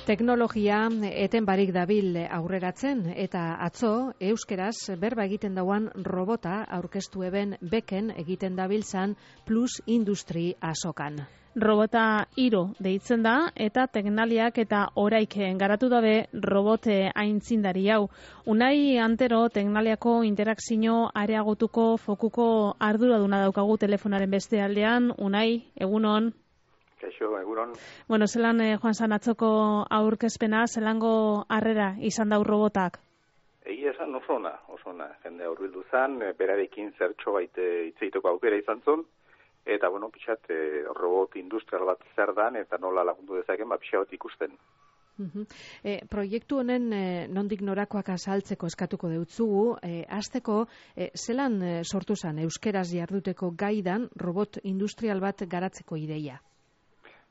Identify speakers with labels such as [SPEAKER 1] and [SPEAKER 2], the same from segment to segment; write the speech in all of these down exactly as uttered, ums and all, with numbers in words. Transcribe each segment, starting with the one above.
[SPEAKER 1] Teknologia eten barik dabil aurreratzen eta atzo euskeraz berba egiten dauan robota aurkeztu eben beken egiten dabiltzan Plus Industri azokan.
[SPEAKER 2] Robota Iro deitzen da eta teknaliak eta oraik garatu dabe robote aintzindari hau. Unai Antero teknaliako interakzio areagotuko fokuko arduraduna daukagu telefonaren beste aldean. Unai, egunon.
[SPEAKER 3] Kaixo, egunon.
[SPEAKER 2] Bueno, zelan eh, joan zan atzoko aurkezpena, zelango harrera izan dau robotak?
[SPEAKER 3] Egia esan oso ona, oso ona. Jende aurbildu zan, berarekin zertxo baite hitzeiteko aukera izan zon, eta, bueno, pixat, eh, robot industrial bat zer dan, eta nola lagundu dezaken, ba, pixat ikusten.
[SPEAKER 1] Uh-huh. E, proiektu honen e, nondik norakoak azaltzeko eskatuko deutzugu, e, azteko e, zelan e, sortu zan euskeraz jarduteko gaidan robot industrial bat garatzeko ideia?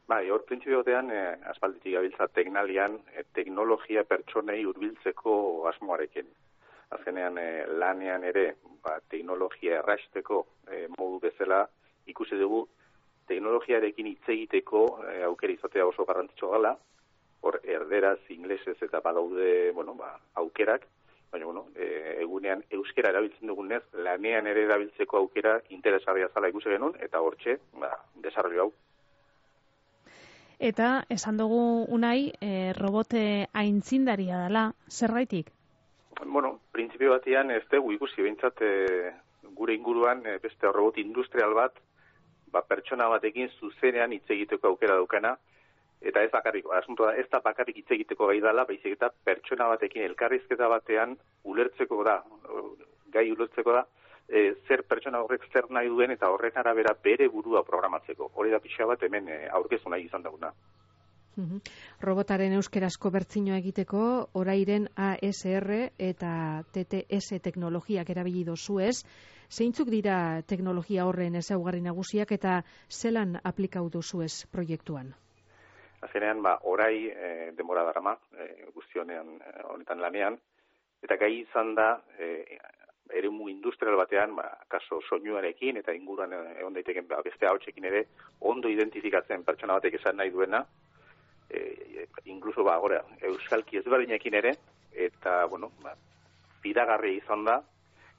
[SPEAKER 3] Bai, hor printzipiotean, eh, aspalditik gabiltza teknalian, eh, teknologia pertsonei hurbiltzeko asmoarekin. Azkenean, eh, lanean ere, ba, teknologia erraisteko eh, modu bezala ikusi dugu, teknologiarekin hitz egiteko eh, aukera izatea oso garrantzitsua gala, hor erderaz, inglesez eta badaude, bueno, ba, aukerak, baina, bueno, eh, egunean euskera erabiltzen dugunez, lanean ere erabiltzeko aukera interesgarria zala ikusi genuen, eta hortxe, ba, desarrollo hau.
[SPEAKER 2] Eta esan dugu Unai, e, robote aintzindaria dela, zerbaitik?
[SPEAKER 3] Bueno, printzipio batean ez dugu ikusi behintzat e, gure inguruan e, beste robot industrial bat, ba, pertsona batekin zuzenean hitz egiteko aukera daukana, eta ez bakarrik, asuntoa ez da bakarrik hitz egiteko gai dela, baizik eta pertsona batekin elkarrizketa batean ulertzeko da, gai ulertzeko da, E, zer pertsona horrek zer nahi duen eta horren arabera bere burua programatzeko. Hori da pixa bat hemen e, aurkezu nahi izan duguna.
[SPEAKER 1] Uh-huh. Robotaren euskerazko bertzinoa egiteko, orairen A S R eta T T S teknologiak erabili dozuez. Zeintzuk dira teknologia horren ezaugarri nagusiak eta zelan aplikau dozuez proiektuan?
[SPEAKER 3] Azkenean, ba, orai e, denbora darama, e, guztionean e, honetan lanean, eta gai izan da, e, eremu industrial batean, ba, kaso soinuarekin eta inguruan egon daiteken ba, beste ahotsekin ere ondo identifikatzen pertsona batek esan nahi duena, e, incluso ba, gora, euskalki ezberdinekin ere, eta, bueno, ba, fidagarria izan da,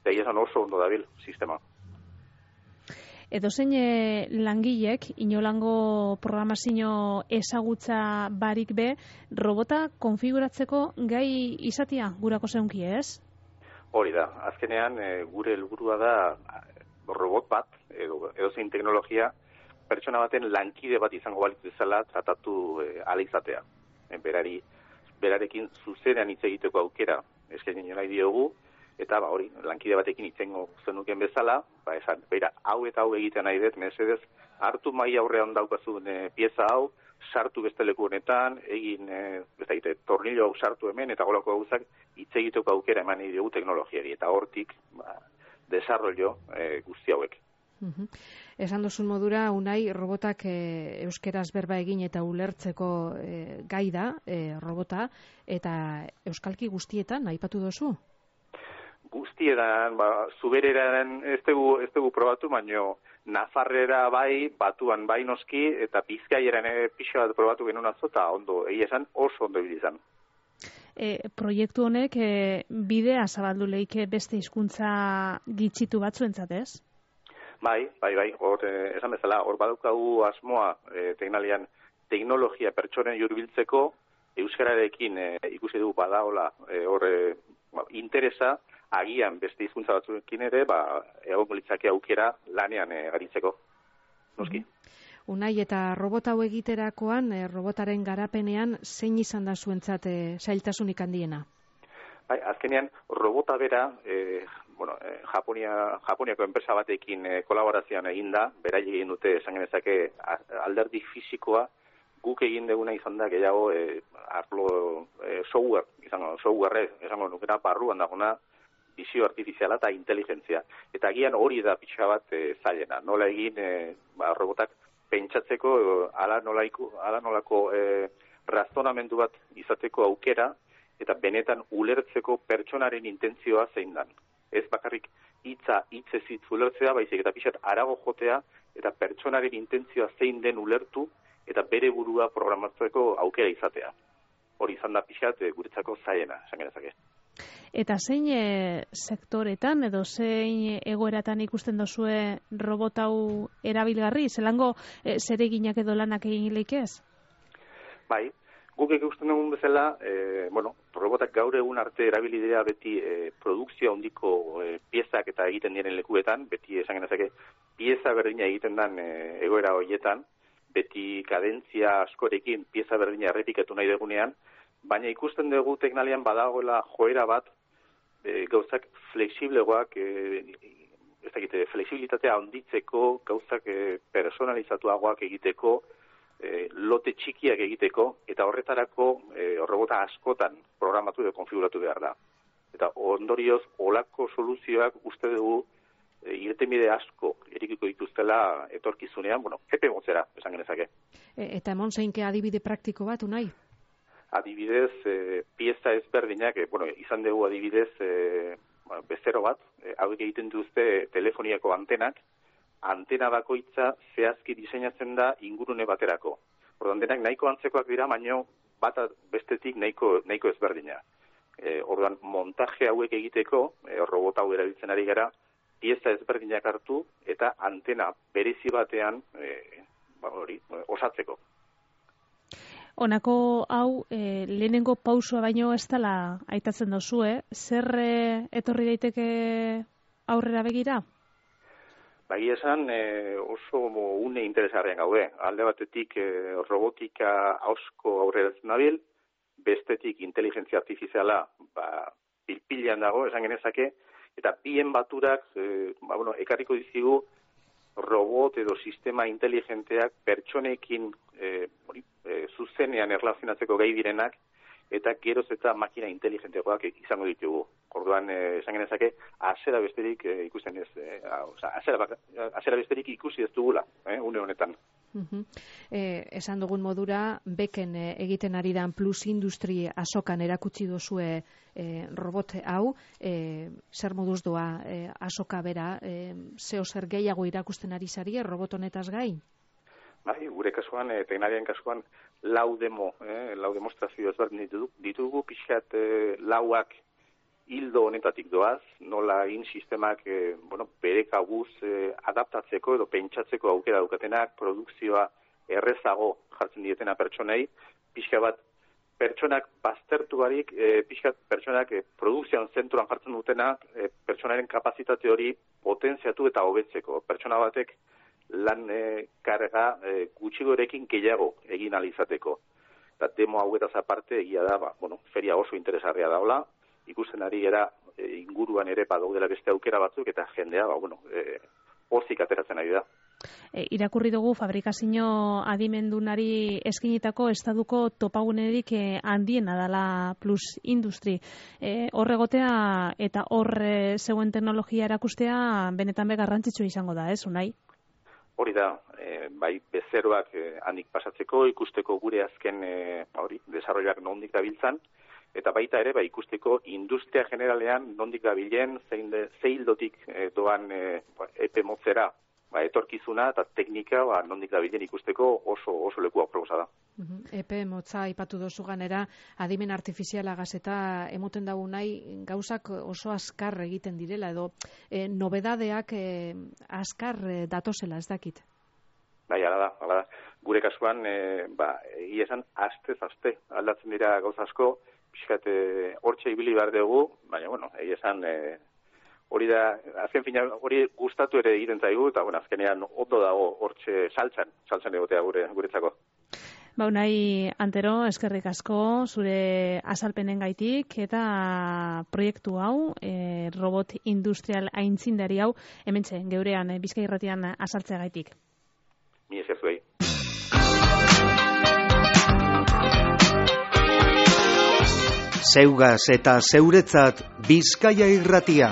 [SPEAKER 3] eta izan oso ondo dabil sistema.
[SPEAKER 2] Edozein langilek, inolango programazio ezagutza barik be, robota konfiguratzeko gai izatea gurako zeunki, ez?
[SPEAKER 3] Hori da, azkenean e, gure helburua da robot bat, edo, edo zein teknologia, pertsona baten lankide bat izango balitz bezala tratatu e, ala izatea. E, berari, berarekin zuzenean hitz egiteko aukera eskaini nahi diogu, eta ba, hori, lankide batekin hitzengo zenuken bezala, ba, esan, bera, hau eta hau egiten nahi dut, mesedez, hartu mai aurrean daukazun e, pieza hau, sartu beste leku honetan, egin, e, ez daite, tornillo hau sartu hemen, eta golako gauzak hitz egiteko aukera eman nahi dugu teknologiari, eta hortik, ba, desarrollo e, guzti hauek.
[SPEAKER 1] Uh-huh. Esan duzun modura, Unai, robotak e, euskeraz berba egin eta ulertzeko e, gai da, e, robota, eta euskalki guztietan, aipatu duzu?
[SPEAKER 3] Guztietan, ba, zubereraren ez dugu, ez dugu probatu, baino Nafarrera bai, batuan bai noski, eta Bizkaieran ere pixa bat probatu genuen atzo, eta ondo, egia esan oso ondo izan.
[SPEAKER 2] E, proiektu honek e, bidea zabaldu leike beste hizkuntza gitxitu batzuentzat, ez?
[SPEAKER 3] Bai, bai, bai, hor, eh, esan bezala, hor badaukagu asmoa eh, teknalian teknologia pertsonen hurbiltzeko, euskararekin eh, ikusi dugu badaola eh, hor eh, interesa, agian beste hizkuntza batzuekin ere, ba, egongo litzake aukera lanean e, garitzeko. Noski.
[SPEAKER 1] Mm-hmm. Unai, eta robota hau egiterakoan, e, robotaren garapenean, zein izan da zuentzat e, zailtasunik handiena?
[SPEAKER 3] Bai, azkenean, robota bera, e, bueno, e, Japonia, Japoniako enpresa batekin e, kolaborazioan eginda, berai egin dute, esan genezake, alderdi fisikoa, guk egin duguna izan da, gehiago, e, arlo e, software, izango, software, esango nukera, barruan dagona, bizio artifiziala eta inteligentzia. Eta agian hori da pixka bat e, zailena. Nola egin e, ba, robotak pentsatzeko, e, ala, nolaiko, ala nolako e, razonamendu bat izateko aukera, eta benetan ulertzeko pertsonaren intentzioa zein dan. Ez bakarrik hitza hitzez hitz ulertzea, baizik eta pixat arago jotea, eta pertsonaren intentzioa zein den ulertu, eta bere burua programatzeko aukera izatea. hori izan da pixat e, guretzako zailena, esan genezake.
[SPEAKER 2] Eta zein e, sektoretan edo zein egoeratan ikusten dozue robot hau erabilgarri? Zelango e, zereginak edo lanak egin leikez?
[SPEAKER 3] Bai, guk ikusten dugun bezala, e, bueno, robotak gaur egun arte erabilidea beti e, produkzio handiko e, piezak eta egiten diren lekuetan, beti esan genezake, pieza berdina egiten den e, egoera horietan, beti kadentzia askorekin pieza berdina errepikatu nahi dugunean, baina ikusten dugu teknalian badagoela joera bat, e, gauzak flexiblegoak, e, ez dakite, flexibilitatea handitzeko, gauzak e, personalizatuagoak egiteko, e, lote txikiak egiteko, eta horretarako e, robota askotan programatu edo konfiguratu behar da. Eta ondorioz, olako soluzioak uste dugu e, irtenbide asko erikiko dituztela etorkizunean, bueno, epe motzera, esan genezake.
[SPEAKER 1] E, eta emon zeinke adibide praktiko bat, unai?
[SPEAKER 3] Adibidez, e, pieza ezberdinak, e, bueno, izan dugu adibidez e, bueno, bezero bat, e, hauek egiten duzte telefoniako antenak, antena bakoitza zehazki diseinatzen da ingurune baterako. Orduan denak nahiko antzekoak dira, baino bat bestetik nahiko, nahiko ezberdina. E, orduan montaje hauek egiteko, e, robot hau erabiltzen ari gara, pieza ezberdinak hartu eta antena berezi batean e, ba, hori, osatzeko.
[SPEAKER 2] Honako hau, e, lehenengo pausua baino ez dela aitatzen dozue, zer e, etorri daiteke aurrera begira?
[SPEAKER 3] Bai esan e, oso une interesgarrian gaude. Alde batetik e, robotika asko aurrera nabil, bestetik inteligentzia artifiziala ba, pilpilean dago, esan genezake, eta bien baturak e, ba, bueno, ekarriko dizigu robot edo sistema inteligenteak pertsonekin e, hori, e, zuzenean erlazionatzeko gai direnak, eta geroz eta makina inteligenteagoak izango ditugu. Orduan, eh, esan genezake, azera besterik eh, ikusten ez, eh, oza, azera, azera besterik ikusi ez dugula, eh, une honetan.
[SPEAKER 1] Uh-huh. eh, esan dugun modura, beken eh, egiten ari dan plus industri asokan erakutsi dozue eh, robot hau, eh, zer moduz doa eh, asoka bera, eh, zeo zer gehiago irakusten ari zarie robot honetaz gain?
[SPEAKER 3] Bai, gure kasuan, eh, teknarian kasuan, lau demo, eh, lau demostrazio ezberdin ditugu, ditugu pixkat eh, lauak hildo honetatik doaz, nola in sistemak eh, bueno, bere kabuz eh, adaptatzeko edo pentsatzeko aukera daukatenak, produkzioa errezago jartzen dietena pertsonei, pixka bat pertsonak baztertu barik, eh, pixkat pertsonak eh, produkzioan zentroan jartzen dutenak, eh, pertsonaren kapazitate hori potentziatu eta hobetzeko. Pertsona batek lan e, karga e, gutxigorekin gehiago egin alizateko. Eta demo hauetaz aparte egia da, ba, bueno, feria oso interesgarria daula, ikusten ari era e, inguruan ere badaudela beste aukera batzuk, eta jendea, ba, bueno, e, pozik ateratzen ari da.
[SPEAKER 2] E, irakurri dugu fabrikazio adimendunari eskinitako estaduko topagunerik e, handiena dela plus industri. E, horregotea eta horre zeuen teknologia erakustea benetan be garrantzitsua izango da, ez, Unai?
[SPEAKER 3] Hori da, e, bai bezeroak e, handik pasatzeko, ikusteko gure azken e, hori, desarroiak nondik dabiltzan, eta baita ere, bai ikusteko industria generalean nondik dabilen, zein de, zeildotik e, doan e, epe motzera, ba, etorkizuna eta teknika ba, nondik dabilen ikusteko oso oso leku aproposa da.
[SPEAKER 1] Uh-huh. Epe motza aipatu dozu ganera, adimen artifiziala gazeta emoten dago nahi gauzak oso azkar egiten direla, edo e, nobedadeak e, azkar e, datozela, ez dakit?
[SPEAKER 3] Bai, ala da, ala da. Gure kasuan, e, ba, egia esan, astez, aste, aldatzen dira gauza asko, pixkat hortxe ibili behar dugu, baina, bueno, egia esan, e, hori da, azken fina, hori gustatu ere egiten zaigu, eta bueno, azkenean ondo dago hortxe saltzan, saltzan egotea gure, guretzako.
[SPEAKER 2] Ba, Unai Antero, eskerrik asko, zure azalpenen gaitik, eta proiektu hau, e, robot industrial aintzindari hau, hementxe, geurean, e, Bizkai Irratian azaltzea gaitik.
[SPEAKER 3] Mi esker zuei.
[SPEAKER 4] Zeugaz eta zeuretzat Bizkaia Irratia.